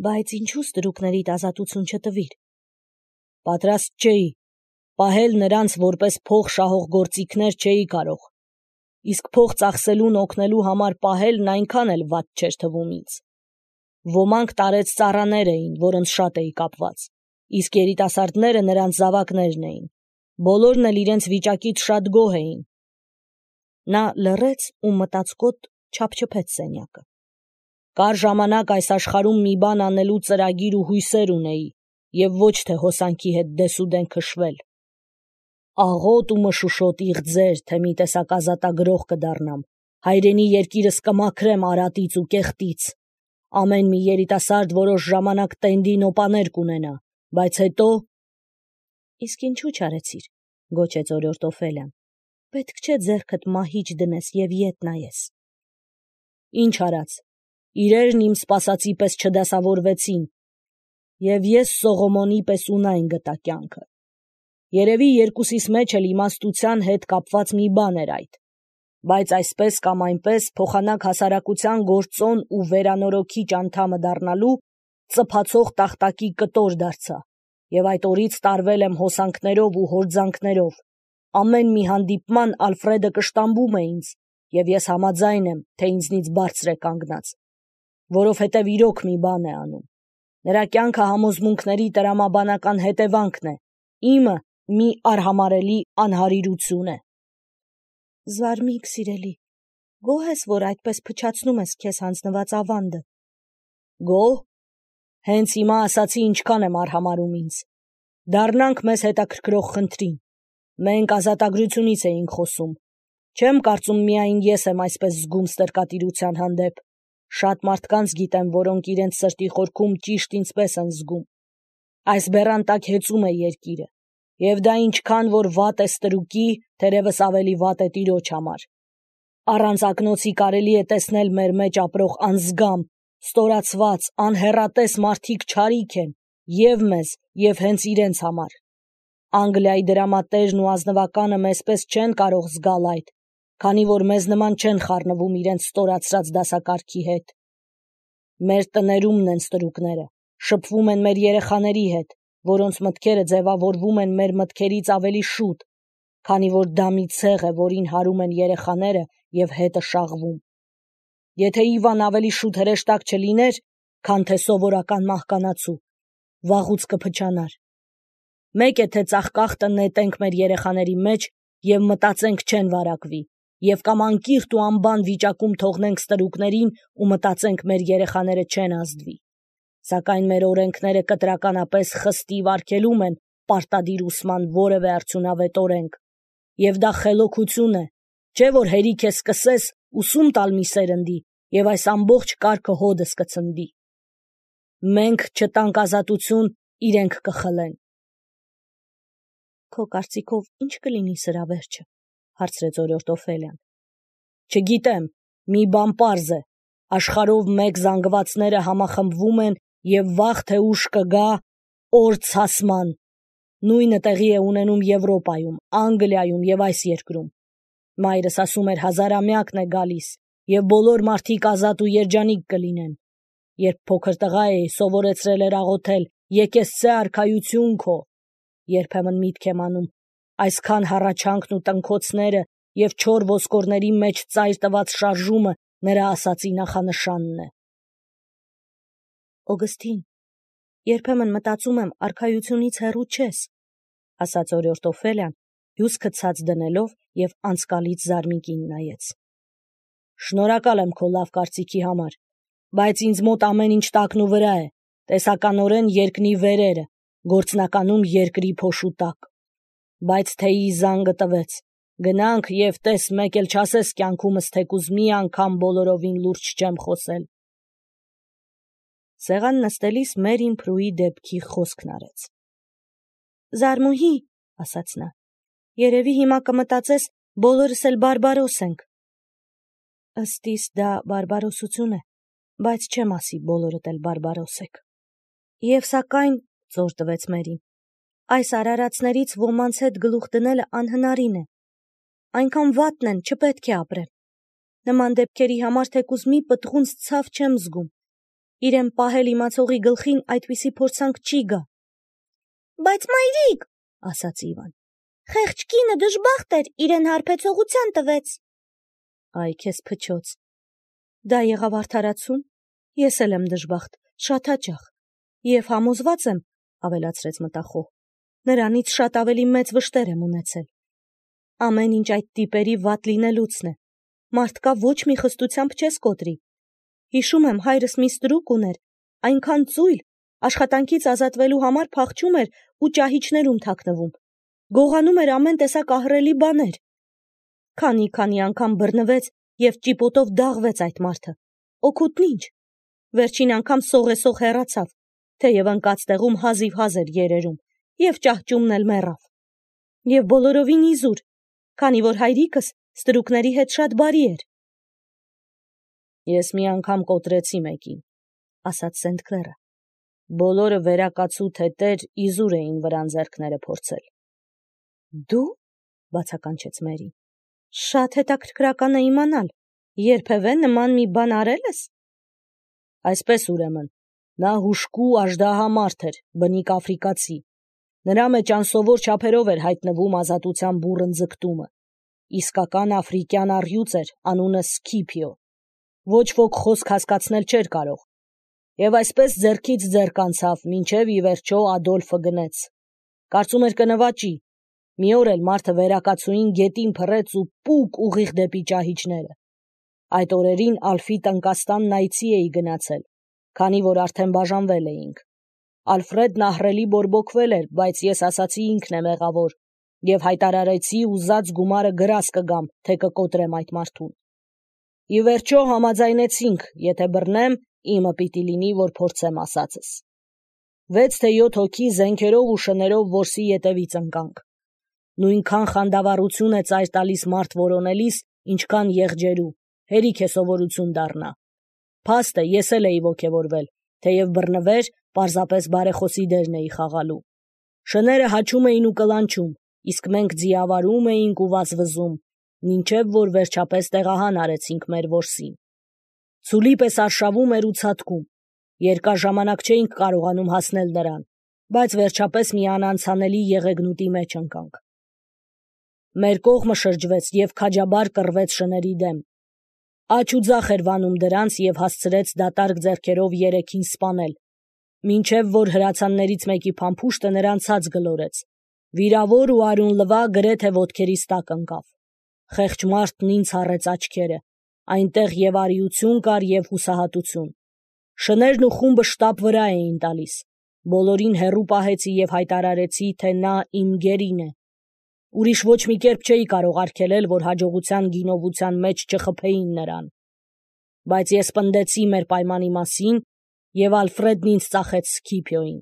Բայց ինչու ստրուկներիդ ազատություն չտվիր։ Պատրաստ չէի, պահել նրանց որպես փող շահող գործիքներ չէի կարող, իսկ փող ծախսելուն օգնելու համար պահելն այնքան էլ վատ չէր թվում ինձ։ Ոմանք տարեց ծառաներ էին, որոնց շատ էի կապված, իսկ երիտասարդները նրանց զավակներն էին, բոլորն էլ իրենց վիճակից շատ գոհ էին։ Նա լռեց ու մտածկոտ չափչփեց սենյակը։ Կար ժամանակ այս աշխարհում մի բան անելու ծրագիր ու հույսեր ունեի, և ոչ թե հոսանքի հետ դեսուդեն քշվել։ Աղոտ ու մշուշոտ իղձեր, թե մի տեսակ ազատագրող կդառնամ, հայրենի երկիրս կմաքրեմ արատից ու կեղտից։ Ամեն մի երիտասարդ որոշ ժամանակ տենդի նոպաներ կունենա, բայց հետո… Իսկ ինչու չարեցիր, գոչեց օրորդ Օֆելիան։ Պետք չէ ձեռքդ մահիճ դնես և ետ նայես։ Ինչ արած, իրերն իմ սպասածի պես չդասավորվեցին, և ես Սողոմոնի պես ունայն գտա կյանքը։ Երևի երկուսիս մեջ էլ իմաստության հետ կապված մի բան էր այդ, բայց այսպես կամ այնպես փոխանակ հասարակության գործոն ու վերանորոգիչ անդամը դառնալու ծփացող տախտակի կտոր դարձա, և այդ օրից տարվել եմ հոսանքներով ու հորձանքներով։ Ամեն մի հանդիպման Ալֆրեդը կշտամբում է ինձ, և ես համաձայն եմ, թե ինձնից բարձր է կանգնած, որովհետև իրոք մի բան է անում։ Նրա կյանքը համոզմունքների տրամաբանական հետևանքն է, իմը մի արհամարհելի անհարիրություն է։ Զարմիկ սիրելի, գոհ ես, որ այդպես փչացնում ես քեզ հանձնված ավանդը։ Գոհ։ Հենց հիմա ասացի ինչքան եմ արհամարհում ինձ։ Դառնանք մեզ հետաքրքրող խնդրին։ Մենք ազատագրությունից էինք խոսում։ Չեմ կարծում միայն ես եմ այսպես զգում ստրկատիրության հանդեպ։ Շատ մարդկանց գիտեմ, որոնք իրենց սրտի խորքում ճիշտ ինձպես են զգում։ Այս բեռան տակ հեծում է երկիրը, և դա ինչքան որ վատ է ստրուկի, թերևս ավելի վատ է տիրոջ համար։ Առանց ակնոցի կարելի է տեսնել մեր մեջ ապրող անզգամ, ստորացված, անհեռատես մարդիկ չարիք են և մեզ, և հենց իրենց համար։ Անգլիայի դրամատերն ու ազնվականը մեզպես չեն կարող զգալ այդ, քանի որ մեզ նման չեն խառնվում իրենց ստորացրած դասակարգի հետ։ Մեր տներումն են ստրուկները, շփվում են մեր երեխաների հետ, որոնց մտքերը ձևավորվում են մեր մտքերից ավելի շուտ, քանի որ դա մի ցեղ է, որին հարում են երեխաները և հետը շաղվում։ Եթե Իվան ավելի շուտ հրեշտակ չլիներ, քան թե սովորական մահկանացու, վաղուց կփչանար։ Մեկ է, թե ծաղկախտը նետենք մեր երեխաների մեջ և մտածենք չեն վարակվի, և կամ անկիրթ ու անբան վիճակում թողնենք ստրուկներին ու մտածենք մեր երեխաները չեն ազդվի։ Սակայն մեր օրենքները կտրականապես խստիվ արգելում են պարտադիր ուսման որևէ արդյունավետ օրենք, և դա խելոքություն է, չէ՞ որ հերիք է սկսես ուսում տալ մի սերնդի, և այս ամբողջ կարգը հօդս կցնդի։ Մենք չտանք ազատություն, իրենք կխլեն։ Քո կարծիքով ի՞նչ կլինի սրա վերջը, հարցրեց օրորդ Օֆելիան։ Չգիտեմ, մի բան պարզ է, աշխարհով մեկ զանգվածները համախմբվում են և վաղ թե ուշ կգա օր ցասման։ Նույնը տեղի է ունենում Եվրոպայում, Անգլիայում և այս երկրում։ Մայրս ասում էր հազարամյակն է գալիս, և բոլոր մարդիկ ազատ ու երջանիկ կլինեն։ Երբ փոքր տղա էի, սովորեցրել էր աղոթել. «Եկեղեցե արքայություն քո»։ Երբեմն միտք եմ անում, այսքան հառաչանքն ու տնքոցները և չոր ոսկորների մեջ ծայր տված շարժումը նրա ասածի նախանշանն է։ Օգստին, երբեմն մտածում եմ արքայությունից հեռու չես, ասաց օրորդ Օֆելիան, հյուսքը ցած դնելով և անցկալից զարմիկին նայեց։ Շնորհակալ եմ քո լավ կարծիքի համար, բայց ինձ մոտ ամեն ինչ տակն ու վրա է, տեսականորեն երկնի վերերը, գործնականում երկրի փոշու տակ։ Բայց թեյի զանգը տվեց, գնանք և տես մեկ էլ չասես կյանքումս թեկուզ մի անգամ բոլորովին լուրջ չեմ խոսել։ Սեղան նստելիս Մերին Փրուի դեպքի խոսքն արեց։ Զարմուհի, ասաց նա, երևի հիմա կմտածես բոլորս էլ բարբարոս ենք։ Ըստ իս դա բարբարոսություն է, բայց չեմ ասի բոլորդ էլ բարբարոս եք։ Եվ սակայն, զոր տվեց Մերին, այս արարածներից ոմանց հետ գլուխ դնելը անհնարին է։ Այնքան վատն են, չպետք է ապրեն։ Նման դեպքերի համար թեկուզ մի պտղունց ցավ չեմ զգում։ իրեն պահել իմացողի գլխին այդպիսի փորձանք չի գա։ Բայց մայրիկ, ասաց Իվան, խեղճ կինը դժբախտ էր, իրեն հարբեցողության տվեց։ Այ քեզ փչոց։ Դա եղավ արդարացում, ես էլ եմ դժբախտ, շատ հաճախ, և համոզված եմ, ավելացրեց մտախոհ, նրանից շատ ավելի մեծ վշտեր եմ ունեցել։ Ամեն ինչ այդ տիպերի վատ լինելուցն է, մարդկա ոչ մի խստությամբ չես կոտրի։ Հիշում եմ, հայրս մի ստրուկ ուներ, այնքան ծույլ, աշխատանքից ազատվելու համար փախչում էր ու ճահիճներում թաքնվում, գողանում էր ամեն տեսակ ահռելի բաներ։ Քանի անգամ բռնվեց և ճիպոտով դաղվեց այդ մարդը, օգուտն ինչ, վերջին անգամ սողեսող հեռացավ, թեև ընկած տեղում հազիվ էր երերում, և ճահճումն էլ մեռավ։ Եվ բոլորովին իզուր, քանի որ հայրիկս ստրուկների հետ շատ բարի էր։ Ես մի անգամ կոտրեցի մեկին, ասաց Սենթ-Քլերը, բոլորը վերակացու թետեր իզուր էին վրան ձեռքները փորձել։ Դու, բացականչեց Մերին, շատ հետաքրքրական է իմանալ, երբևէ նման մի բան արել ես։ Այսպես ուրեմն, նա հուժկու աժդահամարդ էր, բնիկ աֆրիկացի, նրա մեջ անսովոր չափերով էր հայտնվում ազատության բուռն ձգտումը, իսկական աֆրիկյան առյուծ էր, անունը Սկիպիո, ոչ ոք խոսք հասկացնել չէր կարող, և այսպես ձեռքից ձեռք անցավ, մինչև ի վերջո Ադոլֆը գնեց, կարծում էր կնվաճի, մի օր էլ մարդը վերակացուին գետին փռեց ու պուկ ուղիղ դեպի ճահիճները։ Այդ օրերին Ալֆի տնկաստանն այցի էի գնացել, քանի որ արդեն բաժանվել էինք։ Ալֆրեդն ահռելի բորբոքվել էր, բայց ես ասացի ինքն է մեղավոր, և հայտարարեցի ուզած գումարը գրազ կգամ, թե կկոտրեմ այդ մարդուն։ Ի վերջո համաձայնեցինք, եթե բռնեմ, իմը պիտի լինի, որ փորձեմ ասածս։ 6 թե 7 հոգի զենքերով ու շներով որսի ետևից ընկանք։ Նույնքան խանդավառություն է ծայր տալիս մարդ որոնելիս, ինչքան եղջերու, հերիք է սովորություն դառնա։ Փաստ է, ես էլ էի ոգևորվել, թեև բռնվեր, պարզապես բարեխոսի դերն էի խաղալու։ Շները հաչում էին ու կլանչում, իսկ մենք ձիավարում էինք ու վազվզում, մինչև որ վերջապես տեղահան արեցինք մեր որսին։ Ցուլի պես արշավում էր ու ցատկում, երկար ժամանակ չէինք կարողանում հասնել նրան, բայց վերջապես մի անանցանելի եղեգնուտի մեջ ընկանք։ Մեր կողմը շրջվեց և քաջաբար կռվեց շների դեմ։ Աջ ու ձախ էր վանում դրանց և հասցրեց դատարկ ձեռքերով երեքին սպանել, մինչև որ հրացաններից մեկի փամփուշտը նրան ցած գլորեց, վիրավոր ու արյուն լվա գրեթե ոտքերիս տակ ընկավ։ Խեղճ մարդն ինձ հառեց աչքերը, այնտեղ և արիություն կար, և հուսահատություն։ Շներն ու խումբը շտապ վրա էին տալիս, բոլորին հեռու պահեցի և հայտարարեցի, թե նա իմ գերին է։ Ուրիշ ոչ մի կերպ չէի կարող արգելել, որ հաջողության գինովության մեջ չխփեին նրան։ Բայց ես պնդեցի մեր պայմանի մասին, և Ալֆրեդն ինձ ծախեց Սկիպիոյին։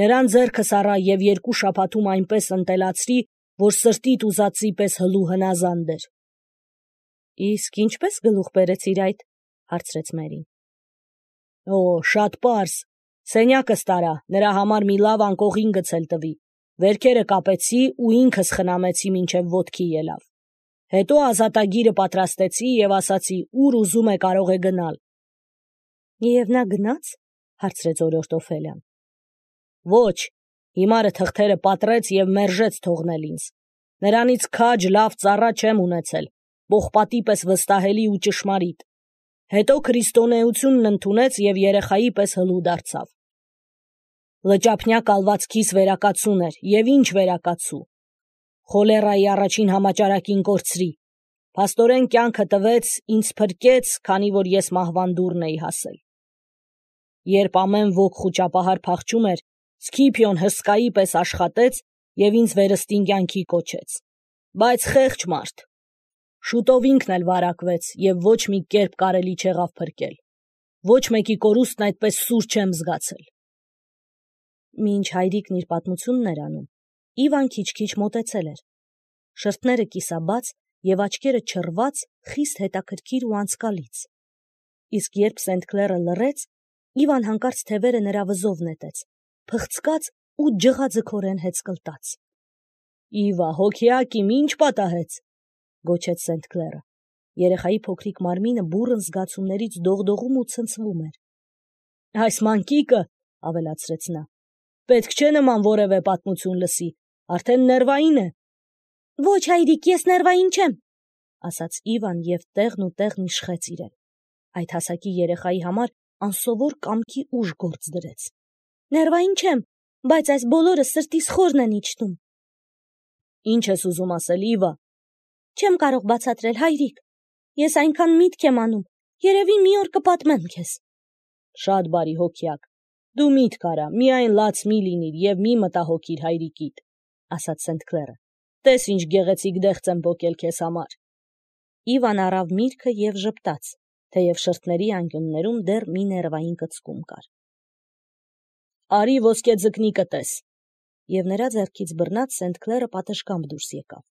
Նրան ձեռքս առա և 2 շաբաթում այնպես ընտելացրի, որ սրտիդ ուզածի պես հլու հնազանդ էր։ Իսկ ինչպես գլուխ բերեցիր այդ, հարցրեց Մերին։ Օ, շատ պարզ, սենյակս տարա, նրա համար մի լավ անկողին գցել տվի, վերքերը կապեցի ու ինքս խնամեցի մինչև ոտքի ելավ։ Հետո ազատագիրը պատրաստեցի և ասացի, ուր ուզում է կարող է գնալ։ Եվ նա գնաց, հարցրեց օրորդ Օֆելիան։ Ոչ, հիմարը թղթերը պատռեց և մերժեց թողնել ինձ։ Նրանից քաջ լավ ծառա չեմ ունեցել, պողպատի պես վստահելի ու ճշմարիտ։ Հետո քրիստոնեությունն ընդունեց և երեխայի պես հլու դարձավ։ Լճափնյա կալվածքիս վերակացուն էր, և ինչ վերակացու։ Խոլերայի առաջին համաճարակին կորցրի։ Փաստորեն կյանքը տվեց, ինձ փրկեց, քանի որ ես մահվան դուռն էի հասել։ Երբ ամեն ոք խուճապահար փախչում էր, Սկիպիոն հսկայի պես աշխատեց և ինձ վերստին կյանքի կոչեց։ Բայց խեղճ մարդ։ Շուտով ինքն էլ վարակվեց և ոչ մի կերպ կարելի չեղավ փրկել։ Ոչ մեկի կորուստն այդպես սուր չեմ զգացել։ Մինչ հայրիկն իր պատմությունն էր անում, Իվան քիչ-քիչ մոտեցել էր։ Շրթները կիսաբաց և աչքերը չռված, խիստ հետաքրքիր ու անձկալից։ Իսկ երբ Սենթ-Քլերը լռեց, Իվան հանկարծ թևերը նրա վզով նետեց, փխցկաց ու ջղաձգորեն հեծկլտաց։ Իվա, հոգյակ իմ, ինչ պատահեց, գոչեց Սենթ-Քլերը։ Երեխայի փոքրիկ մարմինը բուռն զգացումներից դողդողում ու ցնցվում էր։ Այս մանկիկը, ավելացրեց նա, պետք չէ նման որևէ պատմություն լսի, արդեն ներվային է։ Ոչ, հայրիկ, ես ներվային չեմ, ասաց Իվան և տեղն ու տեղն իշխեց իրեն։ Այդ հասակի երեխայի համար անսովոր կամքի ուժ գործ դրեց։ Ներվային չեմ, բայց այս բոլորը սրտիս խորն են իջնում։ Ինչ ես ուզում ասել, Իվա։ Չեմ կարող բացատրել, հայրիկ։ Ես այնքան միտք եմ անում, երևի մի օր կպատմեմ քեզ։ Շատ բարի հոգյակ։ Դու միտք արա, միայն լաց մի լինիր և մի մտահոգիր հայրիկիդ, ասաց Սենթ Քլերը։ Տես ինչ գեղեցիկ դեղց եմ պոկել քեզ համար։ Իվան առավ միրգը և ժպտաց, թեև շրթների անկյուններում դեռ մի ներվային կծկում կար։ Արի ոսկե ձկնիկը տես։ Եվ նրա ձեռքից բռնած Սենթ Քլերը պատշգամբ դուրս եկավ։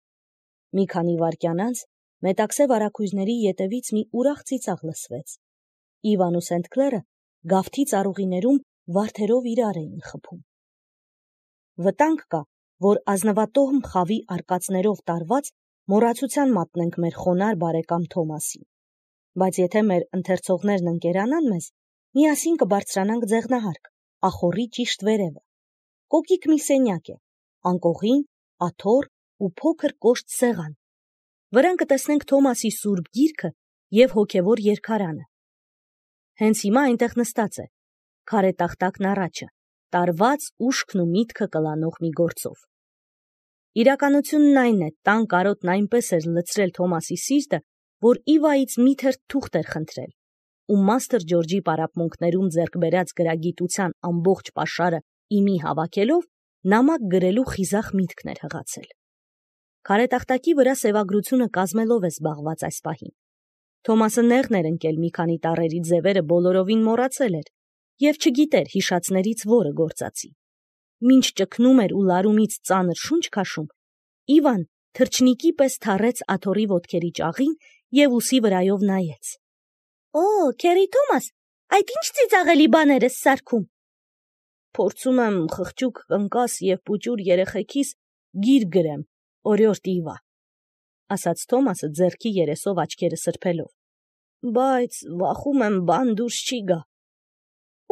Մի քանի վայրկյան անց մետաքսե վարագույրների ետևից մի ուրախ ծիծաղ լսվեց։ Իվան ու Սենթ Քլերը գավթի ծառուղիներում վարդերով իրար էին խփում։ Վտանգ կա, որ ազնվատոհմ խավի արկածներով տարված մոռացության մատնենք մեր խոնար բարեկամ Թոմասին։ Բայց եթե մեր ընթերցողներն ընկերանան մեզ, միասին կբարձրանանք ձեղնահարկ, ախոռի ճիշտ վերևը։ Կոկիկ մի սենյակ է, անկողին, աթոռ ու փոքր կոշտ սեղան։ Վրան կտեսնենք Թոմասի սուրբ գիրքը և հոգևոր երգարանը։ Հենց հիմա այնտեղ նստած է, քարե տախտակն առաջը, տարված ուշքն ու միտքը կլանող մի գործով։ Իրականությունն այն է, տան կարոտն այնպես էր լցրել Թոմասի սիրտը, որ Իվայից մի թերթ թուղթ էր խնդրել, ու Մաստր Ջորջի պարապմունքներում ձեռք բերած գրագիտության ամբողջ պաշարը իմի հավաքելով, նամակ գրելու խիզախ միտքն էր հղացել։ Քարետախտակի վրա սևագրությունը կազմելով է զբաղված այս պահին։ Թոմասը նեղն էր ընկել մի քանի տառերի ձևերը բոլորովին մոռացել էր և չգիտեր հիշածներից որը գործածի։ Մինչ ճգնում էր ու լարումից ծանր շունչ քաշում, Իվան թռչնիկի պես թռեց աթոռի ոտքերի ճաղին և ուսի վրայով նայեց։ Օ, Քերի Թոմաս, այդ ինչ ծիծաղելի բաներ ես սարքում։ Փորձում եմ խղճուկ կնկաս և պուճուր երեխեքիս գիրք գրեմ, օրիորդ Իվա, ասաց Թոմասը ձեռքի երեսով աչքերը սրբելով։ Բայց վախում եմ բան դուրս չի գա։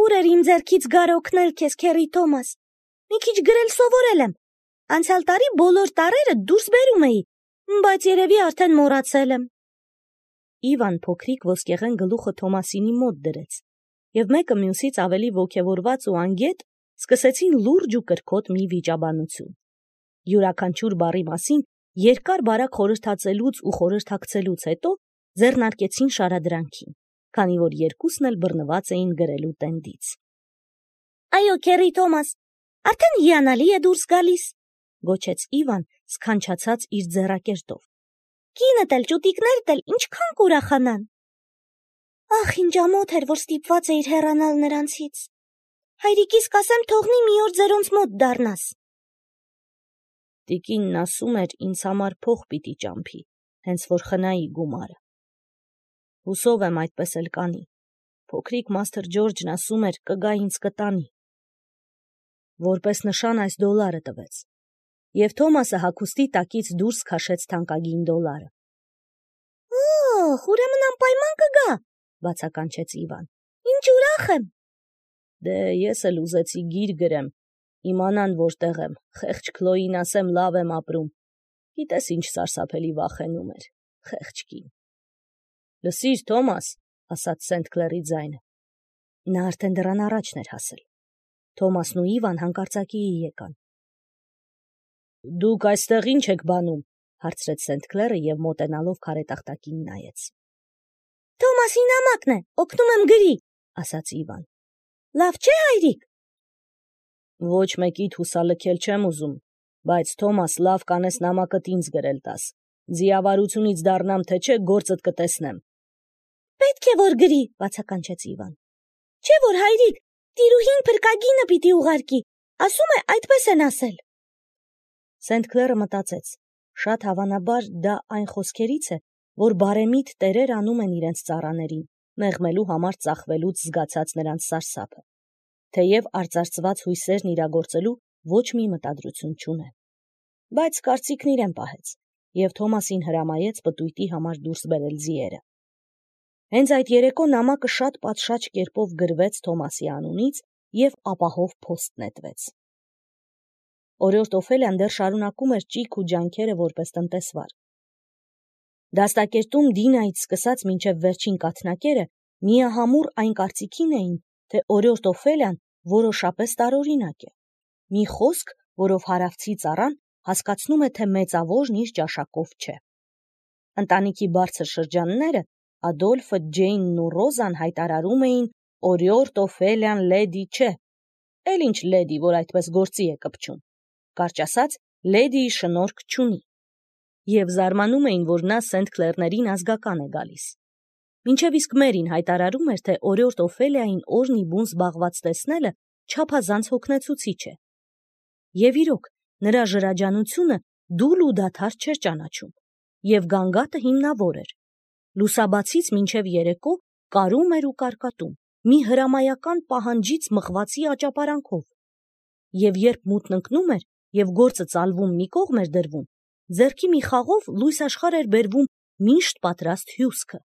Ուր էր իմ ձեռքից գար օգնել քեզ, Քերի Թոմաս։ Մի քիչ գրել սովորել եմ։ Անցյալ տարի բոլոր տառերը դուրս բերում էի, բայց երևի արդեն մոռացել եմ։ Իվան փոքրիկ ոսկեղեն գլուխը Թոմասինի մոտ դրեց, և մեկը մյուսից ավելի ոգևորված ու անգետ սկսեցին լուրջ ու կրքոտ մի վիճաբանություն։ Յուրաքանչյուր բառի մասին երկար-բարակ խորհրդածելուց ու խորհրդակցելուց հետո ձեռնարկեցին շարադրանքին, քանի որ երկուսն էլ բռնված էին գրելու տենդից։ Այո, Քերի Թոմաս, արդեն հիանալի է դուրս գալիս, գոչեց Իվան սքանչացած իր ձեռակերտով։ Կինդ էլ ճուտիկներդ էլ ինչքան կուրախանան։ Ախ, ինչ ամոթ էր, որ ստիպված էիր հեռանալ նրանցից։ Հայրիկիս կասեմ թողնի մի օր ձերոնց մոտ դառնաս։ Տիկինն ասում էր ինձ համար փող պիտի ճամփի, հենց որ խնայի գումարը։ Հուսով եմ այդպես էլ կանի։ Փոքրիկ Մաստր Ջորջն ասում էր կգա ինձ կտանի։ Որպես նշան այս դոլարը տվեց, և Թոմասը հագուստի տակից դուրս քաշեց թանկագին դոլարը։ Օհ, ուրեմն անպայման կգա, բացականչեց Իվան։ Ինչ ուրախ եմ։ Դե ես էլ ուզեցի գիր գրեմ, իմանան որտեղ եմ, խեղճ Քլոյին ասեմ լավ եմ ապրում։ Գիտես ինչ սարսափելի վախենում էր, խեղճ կին։ Լսիր, Թոմաս, ասաց Սենթ Քլերի ձայնը։ Նա արդեն դռան առաջն էր հասել։ Թոմասն ու Իվան հանկարծակիի եկան։ Դուք այստեղ ինչ եք բանում, հարցրեց Սենթ Քլերը և մոտենալով քարետախտակին նայեց։ Թոմասի նամակն է, օգնում եմ գրի, ասաց Իվան։ Լավ չէ, հայրիկ։ Ոչ մեկիդ հուսալքել չեմ ուզում, բայց Թոմաս լավ կանես նամակդ ինձ գրել տաս։ Ձիավարությունից դառնամ թե չէ գործդ կտեսնեմ։ Պետք է որ գրի, բացականչեց Իվան։ Չէ որ հայրիկ, տիրուհին փրկագինը պիտի ուղարկի, ասում է այդպես են ասել։ Սենթ Քլերը մտածեց, շատ հավանաբար դա այն խոսքերից է, որ բարեմիտ տերեր անում են իրենց ծառաներին, մեղմելու համար ծախվելուց զգացած նրանց սարսափը, թեև արծարծված հույսերն իրագործելու ոչ մի մտադրություն չունեն։ Բայց կարծիքն իրեն պահեց, և Թոմասին հրամայեց պտույտի համար դուրս բերել ձիերը։ Հենց այդ երեկո նամակը շատ պատշաճ կերպով գրվեց Թոմասի անունից և ապահով փոստ նետվեց։ Օրիորդ Օֆելիան դեռ շարունակում էր ճիգ ու ջանքերը որպես տնտեսվար։ Դաստակերտում Դինայից սկսած մինչև վերջին կաթնակերը միահամուռ այն կարծիքին էին, թե օրիորդ Օֆելիան որոշապես տարօրինակ է։ Մի խոսք, որով հարավցի ծառան հասկացնում է, թե մեծավորն իր ճաշակով չէ։ Ընտանիքի բարձր շրջանները Ադոլֆը, Ջեյնն ու Ռոզան հայտարարում էին օրիորդ Օֆելիան լեդի չէ, էլ ինչ լեդի, որ այդպես գործի է կպչում, կարճ ասած, լեդիի շնորհք չունի, և զարմանում էին, որ նա Սենթ Քլերներին ազգական է գալիս։ Մինչև իսկ Մերին հայտարարում էր, թե օրիորդ Օֆելիային օրն ի բուն զբաղված տեսնելը չափազանց հոգնեցուցիչ է։ Եվ իրոք, նրա ժրաջանությունը դուլ ու դադար չէր ճանաչում, և գանգատը հիմնավոր էր։ Լուսաբացից մինչև երեկո կարում էր ու կարկատում, մի հրամայական պահանջից մղվածի աճապարանքով։ Եվ երբ մութն ընկնում էր և գործը ծալվում մի կողմ էր դրվում, ձեռքի մի խաղով լույս աշխարհ էր բերվում միշտ պատրաստ հյուսքը,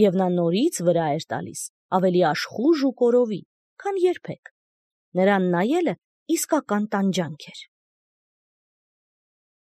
և նա նորից վրա էր տալիս, ավելի աշխուժ ու կորովի, քան երբեք։ Նրան նայելը իսկական տանջանք էր։